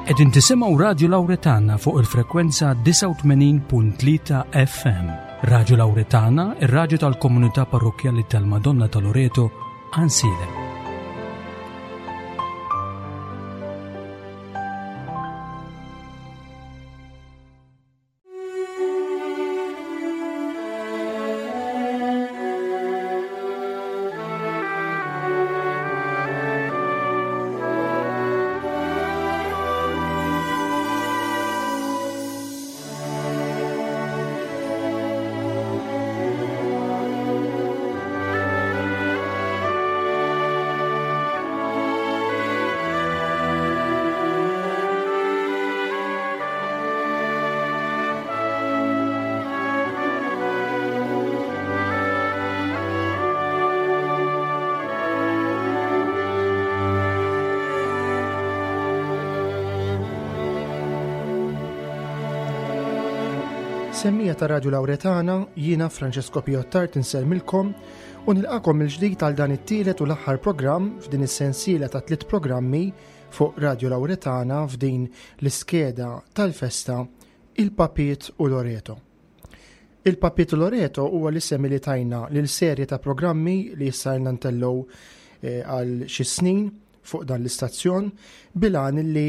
Qegħdin tisimgħu Radju Lawretana fuq il-frekwenza 89.3 FM. Radju Lawretana, ir-radju tal-komunità parrokkjali tal-Madonna ta' Loreto, Ansiedem. Semmija ta' Radju Lawretana, jiena Francesco Piottart insellmilkom u nilqakom il-ġdid għal dan it-tielet u l-aħħar programm f'din is-sensiela ta' tliet programmi fuq Radju Lawretana f'din l-iskeda tal-festa Il-Papiet u Loreto. Il-Papiet u Loreto huwa l-isem li tajna lil serje ta' programmi li issa ilna ntellgħu eh, għal xi snin fuq dan l-istazzjon bil-għan li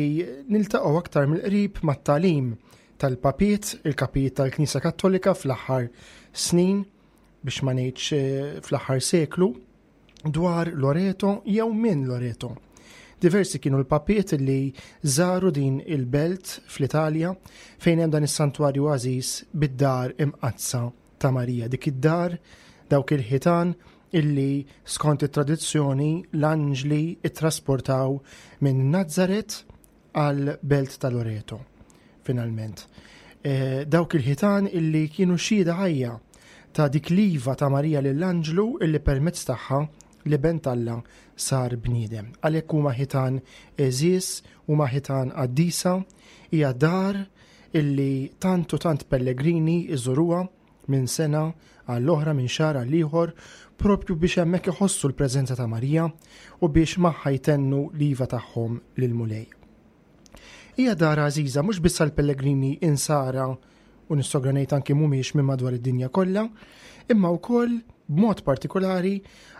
niltaqgħu aktar mill-qrib mat-tagħlim tal-papiet, il-kapijiet tal-Knisja Kattolika fl-aħħar snin biex ma ngħidx eh, fl-aħħar seklu dwar Loreto jew minn Loreto. Diversi kienu l-papiet li żaru din il-belt fl-Italja fejn hemm dan is-santwarju għażiż bid-dar imqaddsa ta' Marija. Dik id-dar, dawk il-ħitan illi skont it-tradizzjoni l-anġli ittrasportaw minn Nazzaret għal belt ta' Loreto, finalment. E, dawk il-ħitan illi kienu xhieda ħajja ta' dik l-iva ta' Marija lill-anġlu illi permezz tagħha li ben t'Alla sar bniedem. Għalhekk huma ħitan għeżież, huma ħitan qaddisa, hija dar illi tant u tant pellegrini iżuruha minn sena għall-oħra minn xahar għal ieħor propju biex hemmhekk iħossu l-preżenza ta' Marija u biex magħha jtennu l-iva tagħhom lill-Mulej. Hija dar għażiża mhux biss għall-pellegrini insara u nistogra ngħid anki mhumiex minn madwar id-dinja kollha, imma wkoll b'mod partikolari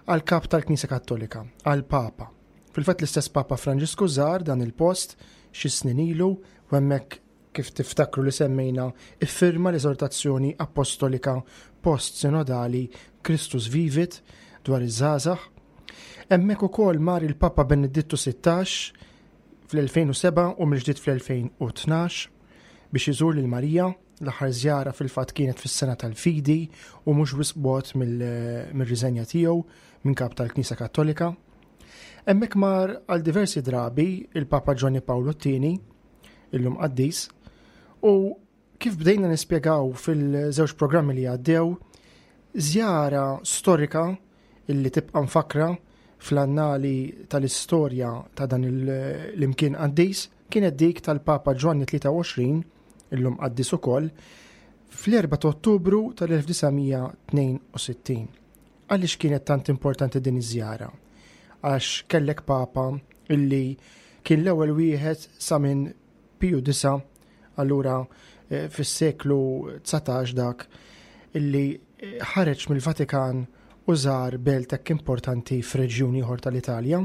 għall-kap tal-Knisja Kattolika, għall-Papa. Fil-fatt l-istess Papa Franġisku żar dan il-post xi snin ilu u hemmhekk kif tiftakru li semmejna, iffirma l-eżortazzjoni appostolika post-sinodali Christus Vivit dwar iż-żgħażagħ. Hemmhekk ukoll mar il-Papa Benedittu 16 fl-2007 u mill-ġdid fl-2012 biex iżur lil Marija. L-aħħar żjara fil-fatt kienet fis-sena tal-fidi u mhux wisq bogħod mill-riżenja tiegħu minn kap tal-Knisja Kattolika. Hemmhekk mar għal diversi drabi il-Papa Ġwanni Pawlu t-tieni illum qaddis, u kif bdejna nispjegaw fil-żewġ programmi li għaddew, żjara storika illi tibqa' mfakra fl-annali tal-istorja ta' dan l-imkien qaddis kienet dik tal-Papa Ġwanni 23, illum qaddis ukoll, fl-4 ta' Ottubru tal-1962. Għaliex kienet tant importanti din iż-żjara? Għax kellek Papa illi kien l-ewwel wieħed sa minn Piju 9, allura eh, fis-seklu 19 dak illi eh, ħareġ mill-Vatikan u żar belt hekk importanti f'reġjun ieħor tal-Italja.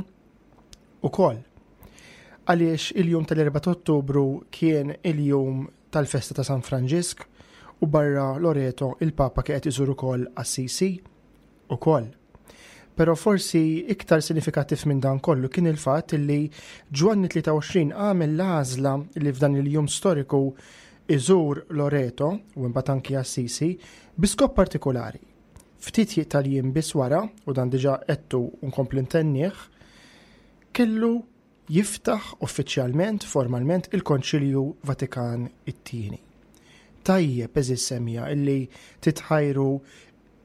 Ukoll għaliex il-jum tal-4 Ottubru kien il-jum tal-festa ta' San Franġisk u barra Loreto il-Papa kien qed iżur ukoll Assisi ukoll. Però forsi iktar sinifikattiv minn dan kollu kien il-fatt li Ġwanni 23 għamel l-għażla li f'dan il-jum storiku iżur Loreto u imbagħad anki Assisi bi skop partikolari. Ftit tal-jiem biss wara, u dan diġà għedtu u nkompli ntennih, kellu jiftaħ uffiċjalment, formalment, il-Konċilju Vatikan it-Tieni. Tajjeb, eżiż semija, illi titħajru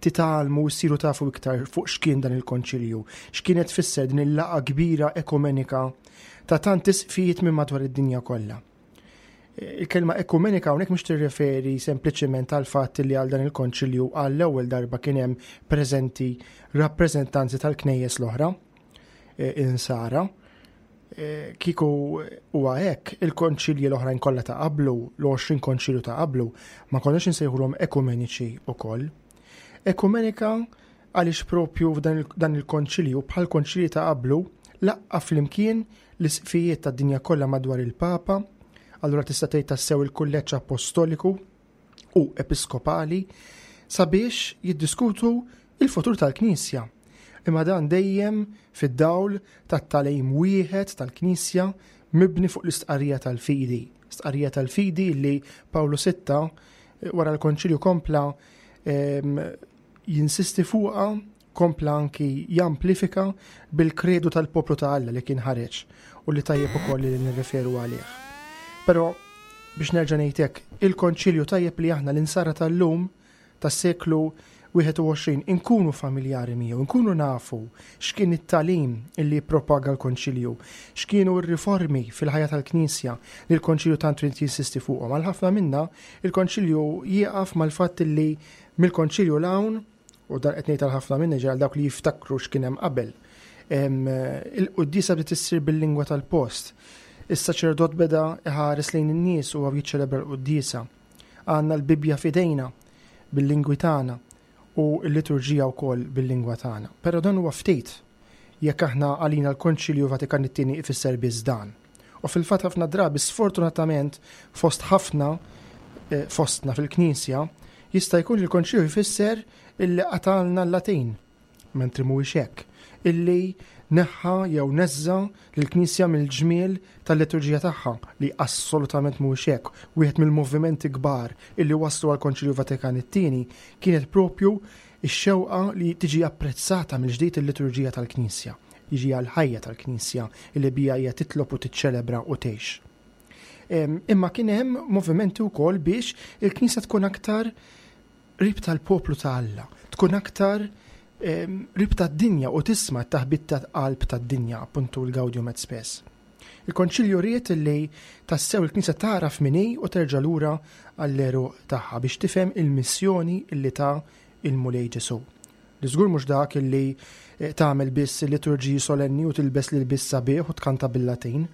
titgħallmu u ssiru tafu iktar fuq x'kien dan il-konċilju, x'kienet tfisser din il-laqgħa kbira ekumenika ta' tant isqfijiet minn madwar id-dinja kollha. Il-kelma ekumenika hawnhekk mhux tirreferi sempliċement għal fatt li għal dan il-konċilju għall-ewwel darba kien hemm preżenti rappreżentanzi tal-knejjes l-oħra e, insara. Kieku huwa hekk, il-konċilji l-oħrajn kollha ta' qablu, l-20 konċilju ta' qablu, ma konniex insejħulhom ekumeniċi wkoll. Ekumenika għaliex propju f'dan il-konċilju bħal konċilji ta' qablu laqqa flimkien l-isqfijiet tad-dinja kollha madwar il-Papa, allura tista' tgħid tassew il-kulleġġ apostoliku u episkopali sabiex jiddiskutu il-futur tal-Knisja. Imma dan dejjem fid-dawl tat-tagħlim wieħed tal-Knisja mibni fuq l-istqarrija tal-fidi. Stqarrija tal-fidi li Pawlu Sitta eh, wara l-Konċilju kompla ehm, jinsisti fuqha kompla anki jamplifika bil-kredu tal-poplu ta' Alla li kien ħareġ u li tajjeb ukoll li nirreferu għalih. Però biex nerġa' ngħid hekk, il-Konċilju tajjeb li aħna l-insara tal-lum tas-seklu 21 inkunu familjari miegħu, inkunu nafu x'kien it-tagħlim illi jippropaga l-Konċilju, x'kienu r-riformi fil-ħajja tal-Knisja li l-Konċilju tant ried jinsisti fuqhom. Għal ħafna minna, il-Konċilju jieqaf mal-fatt illi mill-Konċilju 'l hawn, u dan qed ngħid għal ħafna minna ġi għal dawk li jiftakru x'kien hemm qabel, il-quddiesa bdiet issir bil-lingwa tal-post. Is-saċerdot beda iħares lejn in-nies u jiċċelebra l-quddiesa. Għandna l-Bibbja f'idejna bil-lingwi tagħna u l-liturġija wkoll bil-lingwa tagħna. Però dan huwa ftit jekk aħna għalina l-Konċilju Vatikan it-Tieni ifisser biss dan. U fil-fatt ħafna drabi sfortunatament fost ħafna eh, fostna fil-Knisja jista' jkun li l-Konċilju jfisser illi qatalna l-Latin. mentri mhuwiex hekk, illi neħħa jew neżża' lill-Knisja mill-ġmiel tal-liturġija tagħha, li assolutament mhuwiex hekk. Wieħed mill-movimenti kbar illi wasslu għall-Konċilju Vatikan it-Tieni kienet propju x-xewqa li tiġi apprezzata mill-ġdid il-liturġija tal-Knisja, jiġi għall-ħajja tal-Knisja illi biha hija titlob u tiċċelebra u tgħix. Imma kien hemm movimenti wkoll biex il-Knisja tkun aktar qrib tal-poplu ta' Alla, tkun aktar qrib tad-dinja u tisma' t-taħbit ta' qalb tad-dinja, appuntu l-Gaudium et Spes. Il-Konċilju ried li tassew il-Knisja tagħraf min hi u terġa' lura għall-għeruq tagħha biex tifhem il-missjoni li ta il-Mulej Ġesù. Li żgur mhux dak li eh, tagħmel biss liturġiji solenni u tilbes l-ilbies sabiħ u tkanta bil-Latin,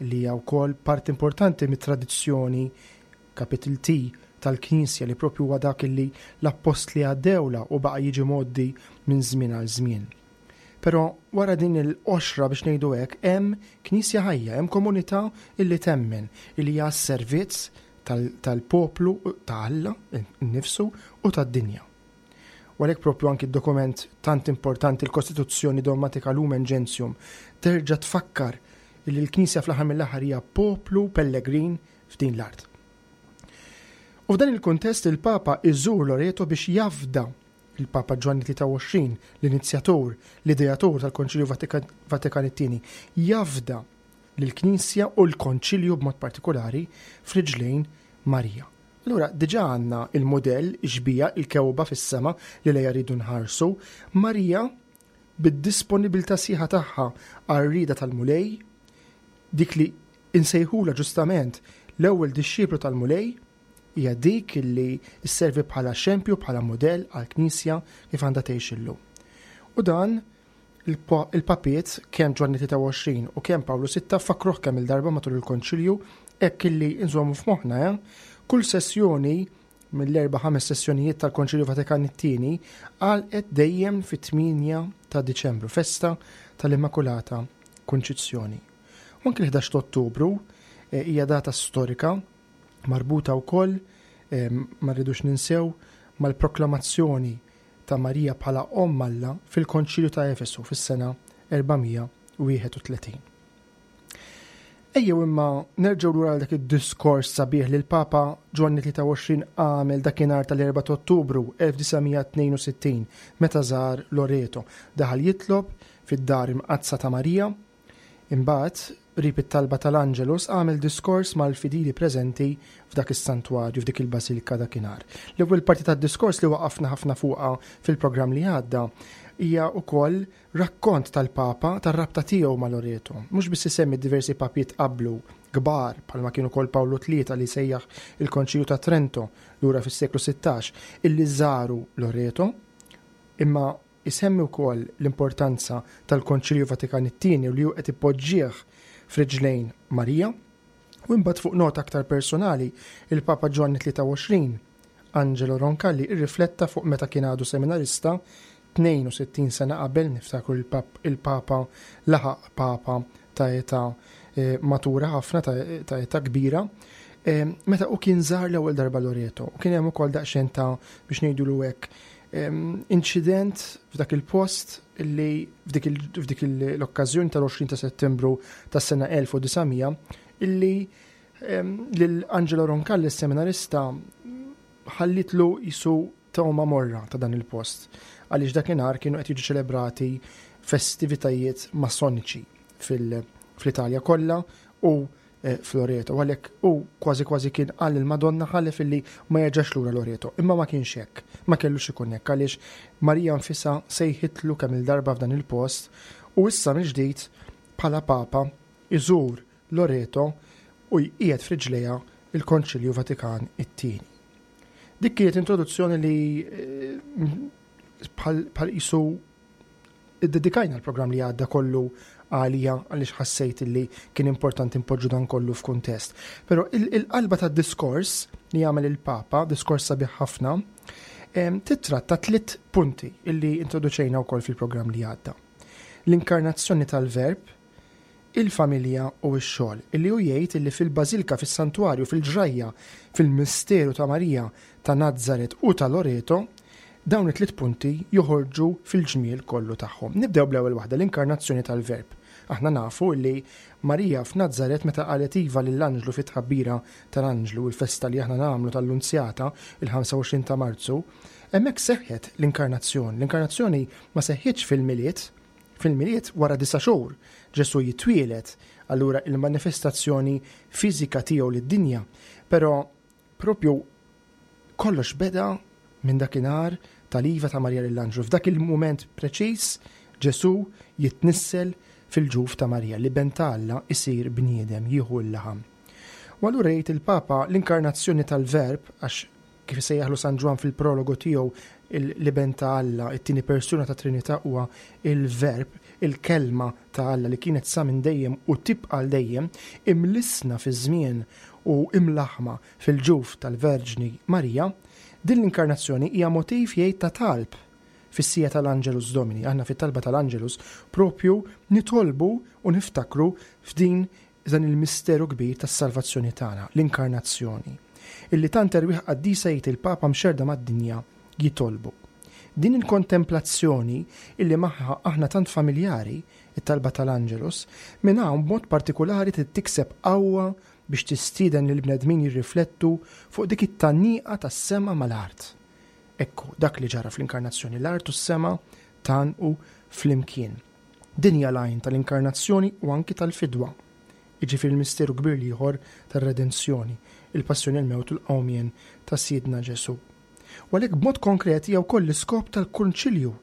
li hija wkoll parti importanti mit-tradizzjoni capital T, tal-Knisja li proprju huwa dak li l-appostli għaddewlha u baqa' jiġi mgħoddi minn żmien għal żmien. Però wara din il-qoxra biex ngħidu hekk hemm Knisja ħajja, hemm komunità illi temmen, illi hija għas-servizz tal-poplu ta' Alla nnifsu u tad-dinja. U għalhekk proprju anki d-dokument tant importanti l-Kostituzzjoni Dogmatika Lumen Gentium terġa' tfakkar illi l-Knisja fl-aħħar mill-aħħar hija poplu pellegrin f'din l-art. U f'dan il-kuntest il-Papa iżur Loreto biex jafda il-Papa Ġwanni 23, l-inizjatur, l-ideatur tal-Konċilju Vatikan it-Tieni, jafda lill-Knisja u l-Konċilju b'mod partikolari f'riġlejn Marija. Allura diġà għandna il-mudell, ix-xbieha, il-kewba fis-sema li lejha rridu nħarsu. Marija bid-disponibilità sħiħa tagħha għar-rieda tal-Mulej, dik li Insejħulha ġustament l-ewwel dixxiplu tal-Mulej, hija dik li sservi bħala xempju, bħala mudell għall-Knisja kif għandha tgħix illum. U dan il-papiet kemm Ġwanni 23 u kemm Pawlu Sitta fakkruh kemm il-darba matul il-Konċilju hekk illi nżommu f'moħħna eh? Kull sessjoni mill-erba' ħames sessjonijiet tal-Konċilju Vatikan it-Tieni għalqet dejjem fit-8 ta' Diċembru, festa tal-Immakulata Kunċizzjoni. U anki l-11 ta' Ottubru eh, hija data storika marbuta wkoll eh, ma rridux ninsew mal-proklamazzjoni ta' Marija bħala Omm Alla fil-Konċilju ta' Efesu fis-sena 431. Ejjew imma nerġgħu lura għal dak id-diskors sabiħ li l-Papa Ġwanni 23 għamel dakinhar tal-4 ta' Ottubru 1962 meta żar Loreto. Daħal jitlob fid-dar imqaddsa ta' Marija Imbagħad, qrib it-talba tal-Angelus, għamel diskors mal-fidili preżenti f'dak is-santwarju, f'dik il-bażilka dakinhar. L-ewwel parti tad-diskors li waqafna ħafna fuqha fil-programm li għadda hija wkoll rakkont tal-Papa tar-rabta tiegħu ma' Loreto. Mhux biss isemmi diversi papiet qablu kbar bħalma kien ukoll Pawlu Tlieta li sejjaħ il-Konċilju ta' Trento lura fis-seklu 16 illi żaru Loreto, imma Isemmi wkoll l-importanza tal-Konċilju Vatikan it-Tieni u li hu qed ipoġġih f'riġlejn Marija. U imbagħad fuq nota aktar personali, il-Papa Ġwanni 23, Angelo Roncalli, irrifletta fuq meta kien għadu seminarista 62 sena qabel, niftakru il-Papa laħaq Papa ta' età eh, matura ħafna, ta' età kbira, eh, meta u kien żar l-ewwel darba Loreto. U kien hemm ukoll daqsxejn ta' biex ngħidulu hekk inċident f'dak il-post li f'dik l-okkażjoni tal-20 ta' Settembru tas-sena 1900 illi lil Angelo Roncalli seminarista ħallitlu jisu tawma morra ta' dan il-post għaliex dakinhar kienu qed jiġu ċelebrati festivitajiet masoniċi fil-Italja kollha u eh, f'Loreto, għalhekk hu kważi kważi kien qal il-Madonna ħalef illi ma jerġax lura Loreto, imma ma kienx hekk, ma kellux ikun hekk għaliex Marija nfisha sejħitlu kemm il-darba f'dan il-post u issa mill-ġdid bħala Papa iżur Loreto u jqiegħed f'riġlejha il-Konċilju Vatikan it-Tieni. Dik kienet introduzzjoni li eh, bħal qisu Iddedikajna l-programm li għadda kollu għalija għaliex ħassejt li kien importanti npoġġu dan kollu f'kuntest. Però il-qalba tad-diskors li għamel il-Papa, diskors sabiħ ħafna, titratta tliet punti illi introduċejna wkoll fil-programm li għadda. L-inkarnazzjoni tal-Verb, il-familja u x-xogħol, illi hu jgħid illi fil-bażilka, fis-santwarju, fil-ġrajja, fil-misteru ta' Marija ta' Nazaret u ta' Loreto, dawn it-tliet punti joħorġu fil-ġmiel kollu tagħhom. Nibdew bl-ewwel waħda, l-inkarnazzjoni tal-Verb. Aħna nafu illi Marija f'Nazaret meta qalet iva lill-anġlu fit-tħabbira tal-anġlu, il-festa li aħna nagħmlu tal-Lunzjata, il-25 ta' Marzu, hemmhekk seħħet l-inkarnazzjoni. L-inkarnazzjoni ma seħħitx fil-Milied, Fil-Milied, wara disa' xhur, Ġesù jitwieled, allura il-manifestazzjoni fiżika tiegħu lid-dinja. Però propju kollox beda minn dakinhar tal-iva ta' Marija lill-anġlu. F'dak il-mument preċiż Ġesù jitnissel fil-ġuf ta' Marija, l-Iben ta' Alla isir bniedem, jieħu l-laħam. U allura jgħid il-Papa l-inkarnazzjoni tal-Verb, għax Kif isejjaħlu San Ġwann fil-prologu tiegħu, l-Iben ta' Alla, it-tieni persuna tat-Trinità huwa il-Verb, il-Kelma ta' Alla li kienet sa minn dejjem u tibqa' għal dejjem, imlissna fiż-żmien u imlaħħma fil-ġuf tal-Verġni Marija. Din l-inkarnazzjoni hija motiv jgħid ta' talb fis-siegħa tal-Angelus Domini. Aħna fit-talba tal-Angelus propju nitolbu u niftakru f'din dan il-misteru kbir tas-salvazzjoni tagħna, l-Inkarnazzjoni, illi tant erwieħ qaddisa jgħid il-Papa mxerrda mad-dinja jitolbu. Din il-kontemplazzjoni illi magħha aħna tant familjari, it-talba tal-Angelus, minn hawn b'mod partikulari trid tikseb qawwa biex tistieden lill-bnedmin jirriflettu fuq dik it-tgħanniqa tas-sema mal-art. Ekku, dak li ġara fl-Inkarnazzjoni, l-art u s-sema tgħannqu flimkien. Din hija l-għajn tal-Inkarnazzjoni u anki tal-Fidwa, jiġifieri l-misteru kbir l-ieħor tar-Redenzjoni, il-Passjoni, il-Mewt u l-Qawmien ta' Sidna Ġesù. U għalhekk b'mod konkret hija wkoll l-iskop tal-Kunċilju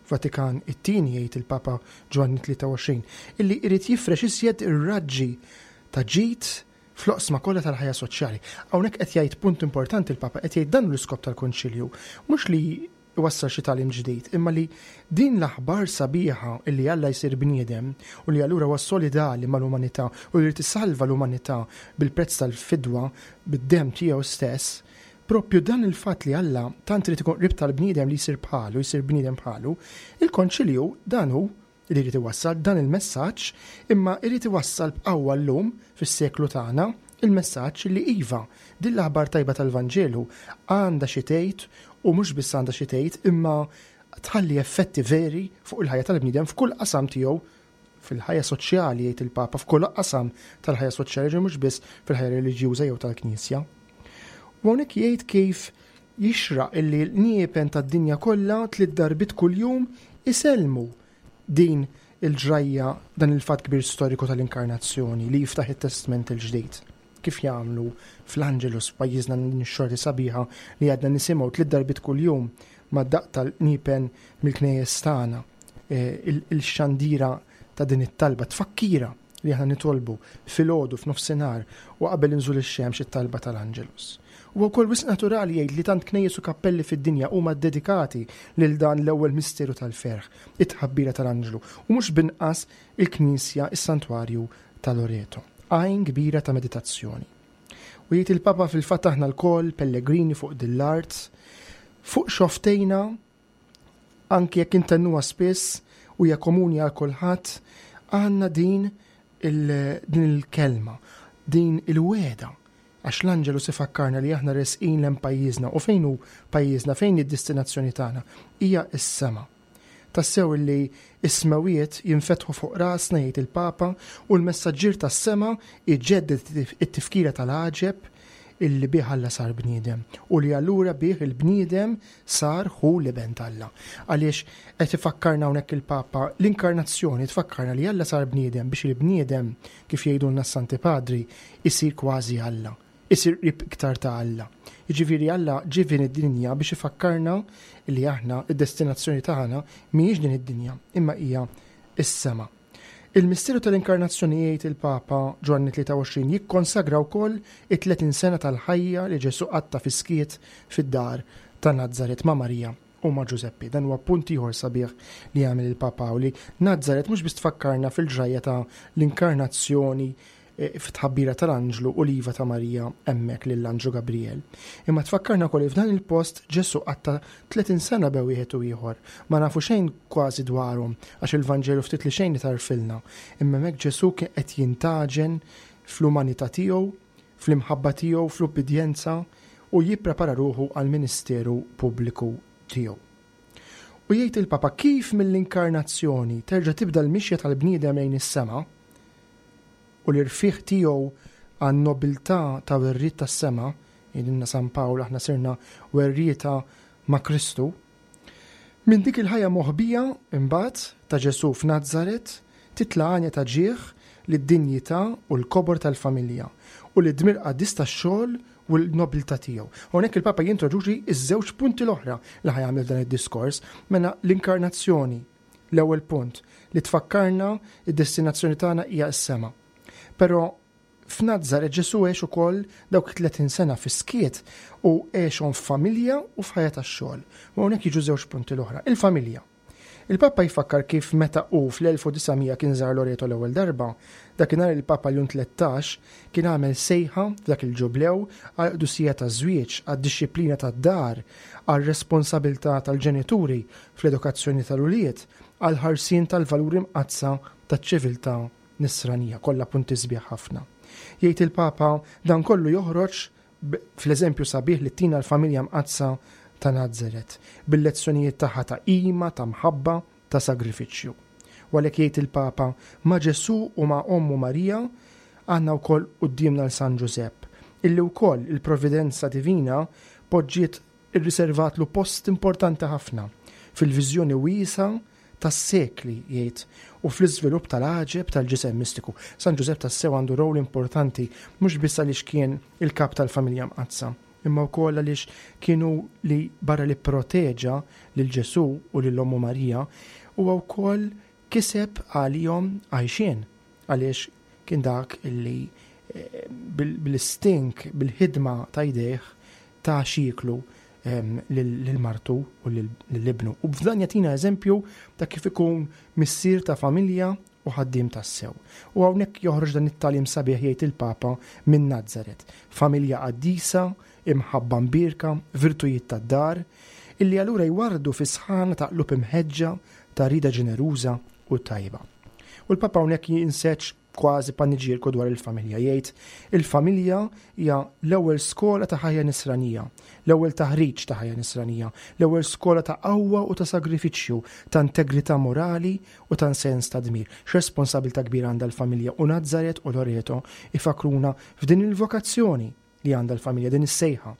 Vatikan it-Tieni, jgħid il-Papa Ġwanni 23, illi jrid jifrex iżjed ir-raġġi ta' ġid fl-oqsma kollha tal-ħajja soċjali. Hawnhekk qed jgħid punt importanti l-Papa, qed jgħid dan hu l-iskop tal-Kunċilju, mhux li iwassal xi tagħlim ġdid, imma li din l-aħbar sabiħa illi Alla jsir bniedem u li allura huwa solidali mal-umanità u li jrid isalva l-umanità bil-prezz tal-fidwa, bid-demm tiegħu stess, proprju dan il-fatt li Alla tant irid ikun qrib tal-bniedem li jsir bħalu, jsir bniedem bħalu, il-Konċilju dan hu li jrid iwassal dan il-messaġġ, imma jrid iwassal b'qawwa llum fis-seklu tagħna il-messaġġ li iva, din l-aħbar tajba tal-Vanġelu għandha xi tgħid u mhux biss għandha xi tgħid imma tħalli effetti veri fuq il-ħajja tal-bniedem f'kull qasam tiegħu fil-ħajja soċjali jgħid il-Papa f'kull qasam tal-ħajja soċjali ġi mhux biss fil-ħajja reliġjuża jew tal-Knisja. U hawnhekk jgħid kif Jixraq illi l-qniepen tad-dinja kollha tliet darbiet kuljum isellmu din il-ġrajja, dan il-fatt kbir storiku tal-Inkarnazzjoni li jiftaħ it-Testment il-Ġdid. Kif jagħmlu fl-Angelus f'pajjiżna din ix-xorti sabiħa li għadna nisimgħu tliet darbiet kuljum mad-daqq tal-qniepen mill-knejjes tagħna, il-xandira ta' din it-talba, tfakkira li aħna nitolbu filgħodu f'nofsinhar u qabel inżul ix-xemx it-talba tal-Angelus. Huwa wkoll wisq naturali jgħid li tant knejjes u kappelli fid-dinja huma ddedikati lil dan l-ewwel misteru tal-ferħ, it-tħabbira tal-anġlu, u mhux b'inqas il-knisja, is-santwarju ta' Loreto, għajn kbira ta' meditazzjoni. U jgħid il-Papa fil-fatt aħna lkoll pellegrini fuq din l-art, fuq xoftejna anki jekk intennuha spiss u hija komuni għal kulħadd, għandna din din il-kelma, din il-wegħda għax l-Anġelus ifakkarna li aħna resqin lejn pajjiżna u fejn hu pajjiżna, fejn hi d-destinazzjoni tagħna? Hija s-sema. Tassew illi s-smewiet jinfetħu fuq rasna jgħid il-Papa u l-messaġġier tas-sema jġedded it-tifkira tal-għaġeb illi bih Alla sar bniedem u li allura bih il-bniedem sar hu l-Iben t'Alla. Għaliex qed ifakkarna hawnhekk il-Papa l-inkarnazzjoni tfakkarna li Alla sar bniedem biex il-bniedem kif jgħidulna s-Santi Padri isir kważi Alla. Isir qrib iktar ta' Alla. Jiġifieri Alla ġie f'din id-dinja biex ifakkarna li aħna id-destinazzjoni tagħna mhijiex din id-dinja, imma hija s-sema. Il-misteru tal-Inkarnazzjoni jgħid il-Papa Ġwanni 23 jikkonsagra wkoll it-30 sena tal-ħajja li Ġesù qatta' fis-skiet fid-dar ta' Nazaret ma' Marija u ma' Ġużeppi. Dan huwa punt ieħor sabiħ li jagħmel il-Papa u li Nazaret mhux biss tfakkarna fil-ġrajja ta' l-inkarnazzjoni eh, fit-tħabbira tal-anġlu u l-iva ta' Marija hemmhekk lill-anġlu Gabriel. Imma tfakkarna wkoll li f'dan il-post Ġesù qatta' 30 sena bejn wieħed u ieħor. Ma nafu xejn kważi dwarhom għax il-Vanġelu ftit li xejn itarfilna. Imma hemmhekk Ġesù kien qed jintgħaġen fl-umanità tiegħu, fl-imħabba tiegħu, fl-ubbidjenza u jipprepara ruħu għall-ministeru pubbliku tiegħu. U jgħid il-Papa kif mill-inkarnazzjoni terġa' tibda l-mixja tal-bniedem lejn is-sema u l-irfigħ tiegħu għan-nobiltà ta' werriet tas-sema, jgħidilna San Pawl aħna sirna werrieta ma' Kristu. Minn dik il-ħajja moħbija, imbagħad, ta' Ġesù f'Nazaret, titla' għanja ta' ġieħ lid-dinjità u l-kobor tal-familja u lid-dmir qaddis tax-xogħol u l-nobiltà tiegħu. Hawnhekk il-Papa jintroduċi ż-żewġ punti l-oħra li ħa jagħmel f'dan id-diskors, mela l-inkarnazzjoni, l-ewwel punt, li tfakkarna d-destinazzjoni tagħna hija s-sema. Però f'Nazaret Ġesù għex ukoll dawk it-30 sena fis-skiet u għexhom f'familja u f'ħajja tax-xogħol. U hawnhekk jiġu żewġ punti l-oħra. Il-familja. Il-Papa jfakkar kif meta hu fl-1900 kien żar Loreto l-ewwel darba, dakinhar il-Papa Ljun 13 kien għamel sejħa f'dak il-ġublew għall-qdusija taż-żwieġ, għad-dixxiplina tad-dar, għar-responsabilità tal-ġenituri fl-edukazzjoni tal-ulied, għall-ħarsien tal-valuri mqaddsa taċ-ċiviltà nisranija. Kollha punti sbieħ ħafna. Jgħid il-Papa dan kollu joħroġ fl-eżempju sabiħ li ttina l-familja mqaddsa ta' Nazaret, bil-lezzjonijiet tagħha ta' qima, ta' mħabba, ta' sagrifiċċju. U għalhekk jgħid il-Papa, ma' Ġesù u ma' ommu Marija għandna wkoll quddiemna 'l San Ġużepp, illi wkoll il-providenza divina poġġiet irriservatlu post importanti ħafna fil-viżjoni wiesgħa tas-sekli, jgħid, u fl-iżvilupp tal-għaġeb tal-ġisem mistiku. San Ġużepp tassew għandu rol importanti mhux biss għaliex kien il-kap tal-familja mqaddsa, imma wkoll għaliex kien hu li barra li pproteġa lil Ġesù u lil ommu Marija, huwa wkoll kiseb għalihom għajxien għaliex kien dak illi eh, bil-istink, bil-ħidma ta' jdejh ta' x'jieklu ehm, lil martu u lil ibnu. U f'dan jagħtina eżempju ta' kif ikun missier ta' familja u ħaddiem tassew. U hawnhekk joħroġ dan it-tagħlim sabiħ jgħid il-Papa minn Nazaret. Familja qaddisa, imħabba mbierka, virtujiet tad-dar, illi allura jwarrdu fi sħana ta' qlub imħeġġa ta' rieda ġeneruża u tajba. U l-Papa hawnhekk jinseġ kważi paniġierku dwar il-familja. Jgħid, il-familja hija l-ewwel skola ta' ħajja nisranija, l-ewwel taħriġ ta' ħajja nisranija, l-ewwel skola ta' qawwa u ta' sagrifiċċju, ta' integrità morali u ta' sens ta' dmir. X'responsabilità kbira għandha l-familja u Nazaret u Loreto ifakruna f'din il-vokazzjoni li għandha l-familja, din is-sejħa,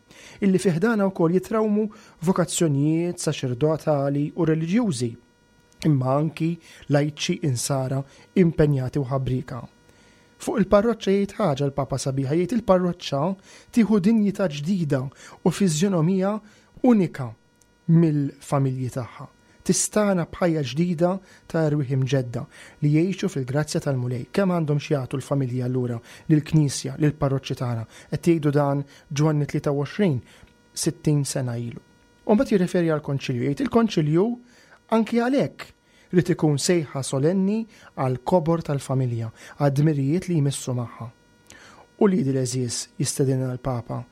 illi fi ħdanha wkoll jitrawmu vokazzjonijiet saċerdotali u reliġjużi, imma anki lajċi insara impenjati u ħabrieka. Fuq il-parroċċa jgħid ħaġa l-Papa sabiħa, jgħid il-parroċċa tieħu dinjità ġdida u fiżjonomija unika mill-familji tagħha. Tistagħna b'ħajja ġdida ta' erwieħ imġedda li jgħixu fil-grazzja tal-Mulej. Kemm għandhom x'jagħtu l-familji allura lill-Knisja, lill-parroċċi tagħna? Qed jgħidu dan Ġwanni 23, 60 sena ilu. U mbagħad jirreferi għall-Konċilju, jgħid il-Konċilju anki għalhekk. Ried ikun sejħa solenni għall-kobor tal-familja, għad-dmirijiet li jmissu magħha. Uliedi l-għeżież, jistedinna l-Papa,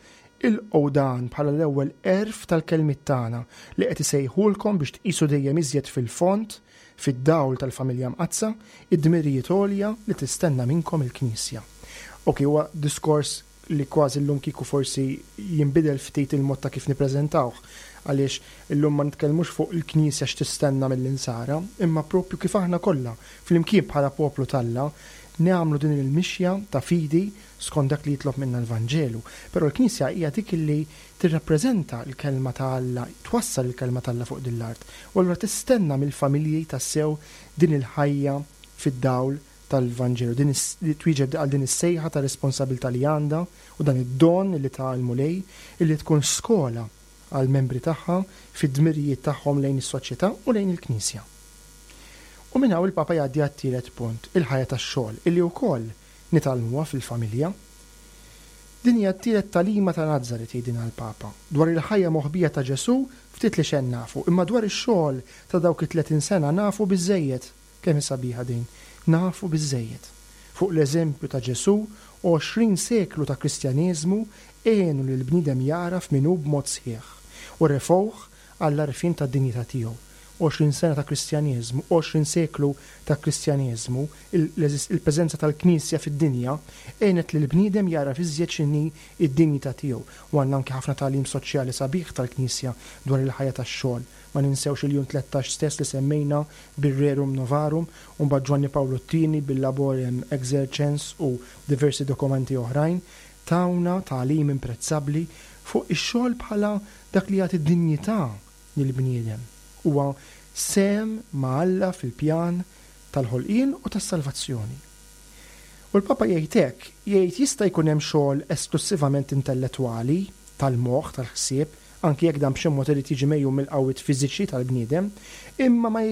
ilqgħu dan bħala l-ewwel għerf tal-kelmiet tagħna li qed isejħulkom biex tqisu dejjem iżjed fil-fond, fid-dawl tal-Familja Mqaddsa, id-dmirijiet għolja li tistenna minnkom il-Knisja. Ok, huwa diskors li kważi llum kieku forsi jinbidel ftit il-mod ta' kif nippreżentawh, għaliex illum ma nitkellmux fuq il-Knisja x'tistenna mill-Insara, imma proprju kif aħna kollha, flimkien bħala poplu t'Alla, nagħmlu din il-mixja ta' fidi skont dak li jitlob minna l-Vanġelu. Però l-Knisja hija dik li tirrappreżenta l-Kelma ta' Alla, twassal il-Kelma t'Alla fuq din l-art, u allura tistenna mill-familji tassew din il-ħajja fid-dawl tal-Vanġelu, din li twieġeb għal din is-sejħa ta' responsabilità li għandha u dan id-don li ta l-Mulej illi tkun skola għall-membri tagħha fid-dmirijiet tagħhom lejn is-soċjetà u lejn il-Knisja. U minn hawn il-Papa jgħaddi għat-tielet punt, il-ħajja tax-xogħol, illi wkoll nitgħallmuha fil-familja. Din hija t-tielet tagħlima ta' Nazaret, jgħidilna l-Papa. Dwar il-ħajja moħbija ta' Ġesù ftit li xejn nafu, imma dwar ix-xogħol ta' dawk it-tletin sena nafu biżżejjed. Kemm hi sabiħa din! Nafu biżżejjed. Fuq l-eżempju ta' Ġesù, 20 seklu ta' Kristjaneżmu għenu lill-bniedem jagħraf min hu b'mod sħiħ, u refgħuh għall-għarfien tad-dinjità tiegħu. 20 sena ta' Kristjaneżmu, 20 seklu ta' Kristjaneżmu, il-preżenza tal-Knisja fid-dinja għenet lill-bniedem jagħraf iżjed x'inhi d-dinjità tiegħu. U għandna anki ħafna tagħlim soċjali sabiħ tal-Knisja dwar il-ħajja tax-xogħol. Ma ninsewx il-Jum 13 stess li semmejna bir-Rerum Novarum, u mbagħad Ġwanni Pawlu t-Tieni bil-Laborem Exercens u diversi dokumenti oħrajn, tawna tagħlim imprezzabbli fuq ix-xogħol bħala dak li jagħti dinjità lill-bniedem. Huwa sehem ma' Alla fil-pjan tal-ħolqien u tas-salvazzjoni. U l-Papa jgħid hekk, jgħid jista' jkun hemm xogħol esklussivament intellettwali, tal-moħħ, tal-ħsieb, anki jekk dan b'xi mod irid jiġi megħjun mill-qawwiet fiżiċi tal-bniedem, imma ma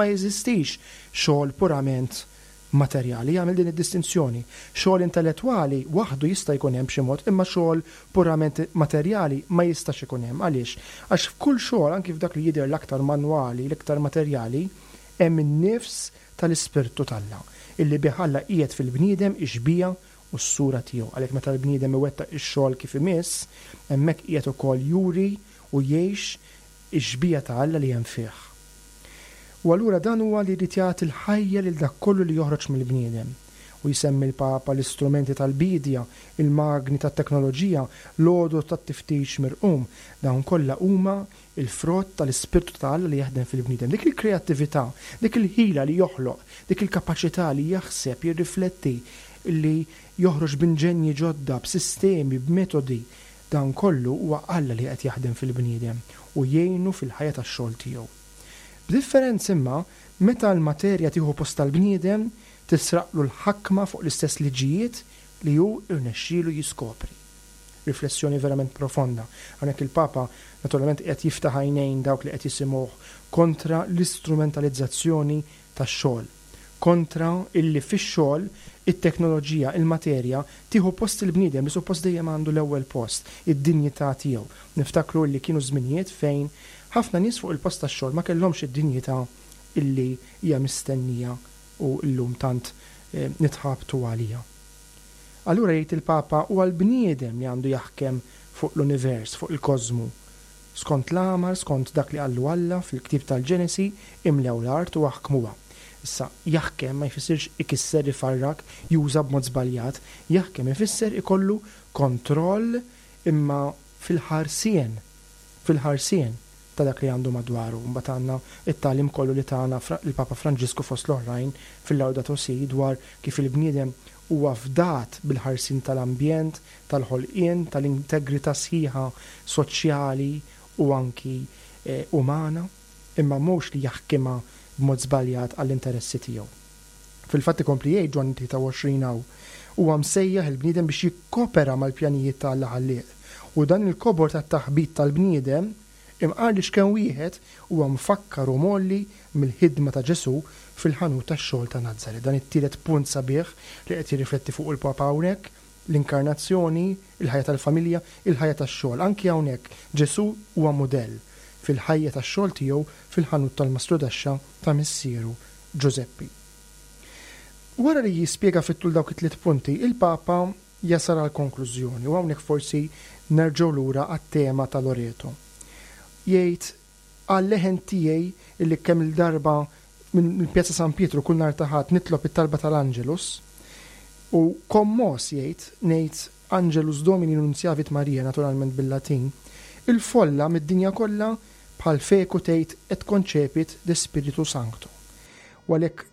jeżistix xogħol purament materjali, jagħmel din id-distinzjoni. Xogħol intellettwali waħdu jista' jkun hemm b'xi mod, imma xogħol purament materjali ma jistax ikun hemm. Għaliex? Għax f'kull xogħol, anki f'dak li jidher l-aktar manwali, l-iktar materjali, hemm in-nifs tal-Ispirtu t'Alla, illi bih Alla qiegħed fil-bniedem ix-xbieha u s-sura tiegħu. Għalhekk meta l-bniedem iwettaq ix-xogħol kif imiss, hemmhekk qiegħed ukoll juri u jgħix ix-xbieha ta' Alla li hemm fih. U allura dan huwa li jrid jagħti l-ħajja lil dak kollu li joħroġ mill-bniedem. U jsemmi l-Papa l-istrumenti tal-biedja, il-magni tat-teknoloġija, l-għodod tat-tiftix mirqum, dawn kollha huma l-frott tal-Ispirtu ta' Alla li jaħdem fil-bniedem. Dik il-kreattività, dik il-ħila li joħloq, dik il-kapaċità li jaħseb, jirrifletti, li joħroġ b'inġenji ġodda, b'sistemi, b'metodi, dan kollu huwa Alla li qed jaħdem fil-bniedem u jgħinu fil-ħajja tax-xogħol tiegħu. B'differenza imma, meta l-materja tieħu post tal-bniedem, tisraqlu l-ħakma fuq l-istess liġijiet li hu rnexxielu jiskopri. Riflessjoni verament profonda. Hawnhekk il-Papa naturalment qiegħed jiftaħ għajnejn dawk li qed jisimgħuh kontra l-istrumentalizzazzjoni tax-xogħol, kontra illi fix-xogħol it-teknoloġija, il-materja, tieħu post il-bniedem li suppost dejjem għandu l-ewwel post, id-dinjità tiegħu. Niftakru illi kienu żminijiet fejn ħafna nies fuq il-post tax-xogħol ma kellhomx id-dinjità illi hija mistennija u llum tant nitħabtu għaliha. Allura jgħid il-Papa huwa l-bniedem li għandu jaħkem fuq l-univers, fuq il-kożmu. Skont l-għamar, skont dak li qallu Alla fil-ktieb tal-Ġenesi, imlew l-art u aħkmuha. Issa, jaħkem ma jfissirx ikisser, ifarrak, juża b'mod żbaljat, jaħkem ifisser ikollu kontroll imma fil-ħarsien, fil-ħarsien. ta' dak li għandu madwaru. Mbagħad għandna t-tagħlim kollu li tana l-Papa Franġisku fost l-oħrajn fil-Laudato Si dwar kif il-bniedem huwa fdat bil-ħarsien tal-ambjent, tal-ħolqien, tal-integrità sħiħa soċjali u anki umana, imma mhux li jaħkimha b'mod żbaljat għall-interessi tiegħu. Fil-fatt ikompli jgħid Ġwanni 23 hawn, huwa msejjaħ il-bniedem biex jikkopera mal-pjanijiet ta' Alla Ħallieq. U dan il-kobor tat-taħbit tal-bniedem, imqar li x'kemm wieħed, huwa mfakkar u mgħolli mill-ħidma ta' Ġesù fil-ħanut tax-xogħol ta' Nazaret. Dan it-tielet punt sabiħ li qed jirrifletti fuqu l-Papa hawnhekk, l-inkarnazzjoni, il-ħajja tal-familja, il-ħajja tax-xogħol. Anki hawnhekk Ġesù huwa mudell. fil-ħajja tax-xogħol tiegħu fil-ħanut tal-mastrudaxxa ta' missieru Ġużeppi. Wara li jispjega fit-tul dawk it-tliet punti, il-Papa jasal għal konklużjoni u hawnhekk forsi nerġgħu lura għat-tema ta' Loreto. Jgħid għal-leħen tiegħi illi kemm-il darba minn Pjazza San Pietru kull nhar ta' Ħadd nitlob it-talba tal-Angelus u kommos jgħid ngħid Angelus Domini Nuntiavit Maria naturalment bil-Latin, il-folla mid-dinja kollha bħal feku tgħid et concepit de Spiritu Sancto. U għalhekk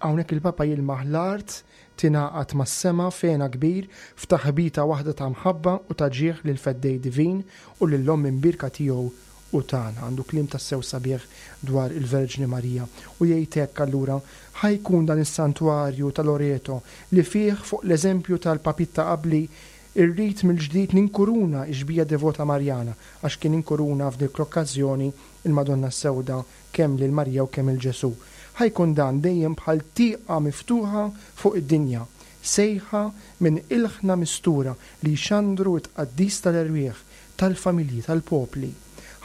hawnhekk il-Papa jilmaħ l-art tingħaqad mas-sema f'hena kbir f'taħbita waħda ta' mħabba u ta' ġieħ lill-Feddej Divin u lill-Omm Imbierka tiegħu u tagħna. Għandu kliem tassew sabiħ dwar il-Verġni Marija. U jgħid hekk allura, Ħa jkun dan is-santwarju ta' Loreto li fih fuq l-eżempju tal-Papiet ta' qabli rrid mill-ġdid ninkuruna x-xbieha devota Marjana, għax kien inkuruna f'dik l-okkażjoni il-Madonna s-Sewda kemm lil Marija u kemm 'il Ġesù. Ħa jkun dan dejjem bħal tieqa miftuħa fuq id-dinja, sejħa minn ilħna mistura li jxandru t-tqaddis tal-erwieħ, tal-familji, tal-popli.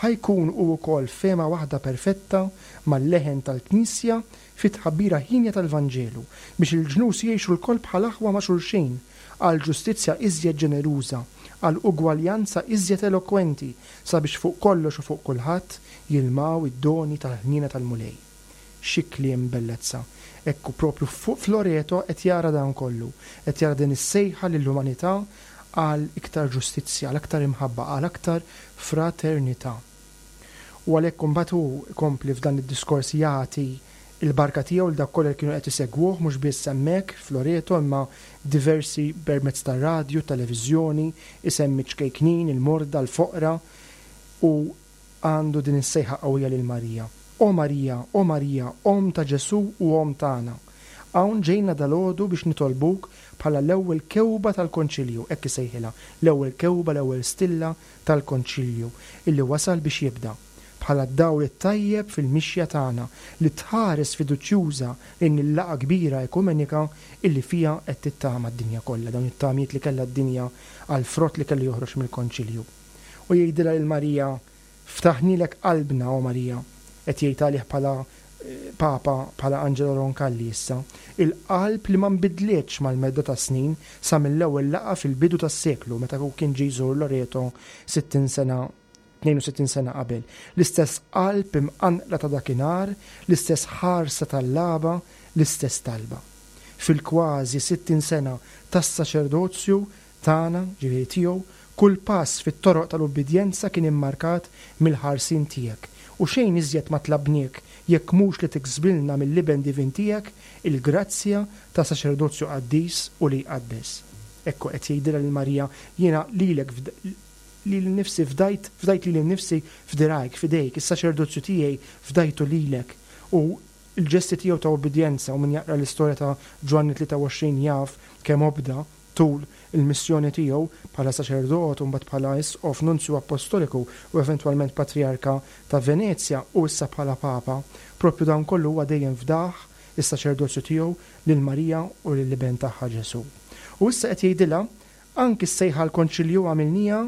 Ħa jkun hu wkoll fehma waħda perfetta mal-leħen tal-Knisja fit-tħabbira hienja tal-Vanġelu, biex il-ġnus jgħixu lkoll bħal aħwa ma' xulxin, għal ġustizzja iżjed ġeneruża, għal ugwaljanza iżjed elokwenti, sabiex fuq kollox u fuq kulħadd jilmaw id-doni tal-ħniena tal-Mulej. Xi kliem bellezza! Hekk hu propju f'Loreto qed jara dan kollu, qed jara din is-sejħa lill-umanità għal iktar ġustizzja, għal aktar imħabba, għal aktar fraternità. U għalhekk imbagħad hu jkompli f'dan id-diskors jagħti l-barka tiegħu lil dawk kollha li kienu qed isegwuh mhux biss hemmhekk f'Loreto imma diversi permezz tar-radju, televiżjoni, isemmi ċ-ċkejknin, il-morda, l-foqra u għandu din is-sejħa qawwija lil Marija, O Marija, o Marija, Omm ta' Ġesù u Omm tagħna, hawn ġejna dalgħodu biex nitolbuk bħala l-ewwel kewba tal-Konċilju, hekk isejħilha, l-ewwel kewba, l-ewwel stilla tal-Konċilju, illi wasal biex jibda, bħala d-dawl it-tajjeb fil-mixja tagħna li tħares fiduċjuża lejn il-laqgħa kbira ekumenika illi fiha qed tittama d-dinja kollha, dawn it-tamiet li kellha d-dinja għall-frott li kellu joħroġ mill-Konċilju. U jgħidilha lil Marija, Ftaħnielek qalbna, o Marija, qed jgħid għalih bħala Papa, bħala Angelo Roncalli issa, il-qalb li ma nbidlitx mal-medda tas-snin sa mill-ewwel laqgħa fil-bidu tas-seklu meta hu kien ġie jżur Loreto 60 sena 62 sena qabel. L-istess qalb imqanqla ta' dakinhar, l-istess ħarsa tallaba, l-istess talba. Fil-kważi 60 sena tas-saċerdozju tagħna, ġifieri tiegħu, kull pass fit-toroq tal-ubbidjenza kien immarkat mill-ħarsien tiegħek, u xejn iżjed ma tlabniek jekk mhux li tiksbilna mill-Iben divin tiegħek il-grazzja ta' saċerdozju qaddis u li jqaddes. Hekk hu qed jgħidilha lil Marija, jiena lilek lili nnifsi fdajt, fdajt lili nnifsi f'dirgħajk, f'idejk, is-saċerdozju tiegħi fdajtu lilek. U l-ġesti tiegħu ta' ubbidjenza, u min jaqra l-istorja ta' Ġwanni 23 jaf kemm obda, tul il-missjoni tiegħu bħala saċerdot u mbagħad bħala Isqof, Nunzju Appostoliku u eventwalment Patrijarka ta' Venezja u issa bħala Papa, proprju dan kollu huwa dejjem fdah is-saċerdozju tiegħu lil Marija u lill-Iben tagħha Ġesù. U issa qed jgħidilha, anki s-sejħa għall-Konċilju għamilniha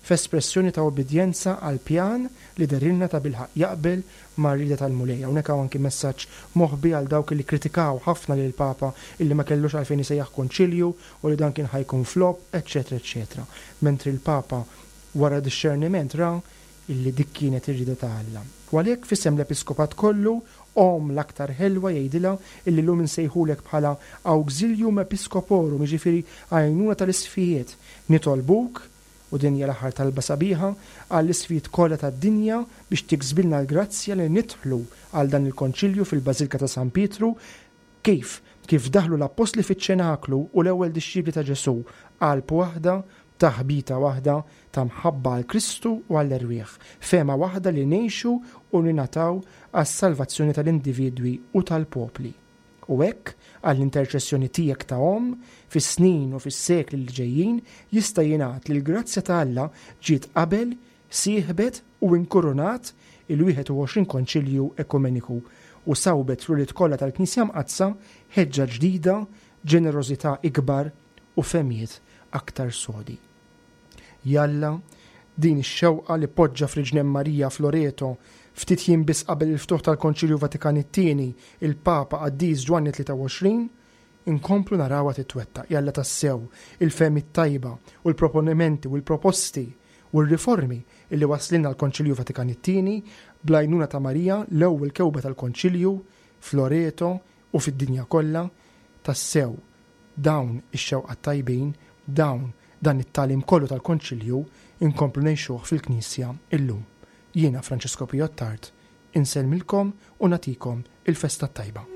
f'espressjoni ta' ubbidjenza għall-pjan li dehrilna tabilħaqq jaqbel mar-rieda tal-Mulej. Hawnhekk hawn anki messaġġ moħbi għal dawk li kkritikaw ħafna lill-Papa illi ma kellux għalfejn isejjaħ konċilju u li dan kien ħa jkun flop, eċċetera eċċetera. Mentri l-Papa wara dixxerniment ra illi dik kienet ir-rieda ta' Alla. U għalhekk f'isem l-Episkopat kollu, Omm l-aktar ħelwa jgħidilha illi llum insejħulek bħala Auxilium Episcoporum, jiġifieri għajnuna tal-isqfijiet, nitolbuk, u din hija l-aħħar talba sabiħa, għall-isqfijiet kollha tad-dinja biex tiksbilna l-grazzja li nidħlu għal dan il-Konċilju fil-Bażilka ta' San Pietru, kif? Kif daħlu l-Appostli fiċ-Ċenaklu u l-ewwel dixxipli ta' Ġesù, qalb waħda, taħbita waħda ta' mħabba għal Kristu u għall-erwieħ, fehma waħda li ngħixu u ningħataw għas-salvazzjoni tal-individwi u tal-popli. U hekk, għall-interċessjoni tiegħek ta' omm, fis-snin u fis-sekli li ġejjin, jista' jingħad li l-grazzja ta' Alla ġiet qabel, sieħbet u inkurunat il-21 Konċilju Ekumeniku u sawbet fl-ulied kollha tal-Knisja Mqaddsa ħeġġa ġdida, ġenerożità ikbar u fehmiet aktar sodi. Jalla, Din ix-xewqa li poġġa f'riġnejn Marija f'Loreto ftit jiem biss qabel il-ftuħ tal-Konċilju Vatikan it-Tieni il-Papa Qaddis Ġwanni 23, inkomplu narawha titwettaq. Jalla tassew il-fehmiet tajba u l-proponimenti u l-proposti u r-riformi illi waslilna l-Konċilju Vatikan it-Tieni bl-għajnuna ta' Marija l-ewwel kewba tal-Konċilju f'Loreto u fid-dinja kollha, tassew dawn ix-xewqat tajbin, dawn dan it-tagħlim kollu tal-Konċilju inkomplu ngħixuh fil-Knisja illum. Jiena Francesco Pio Attard, insellmilkom u nagħtikom il-festa t-tajba.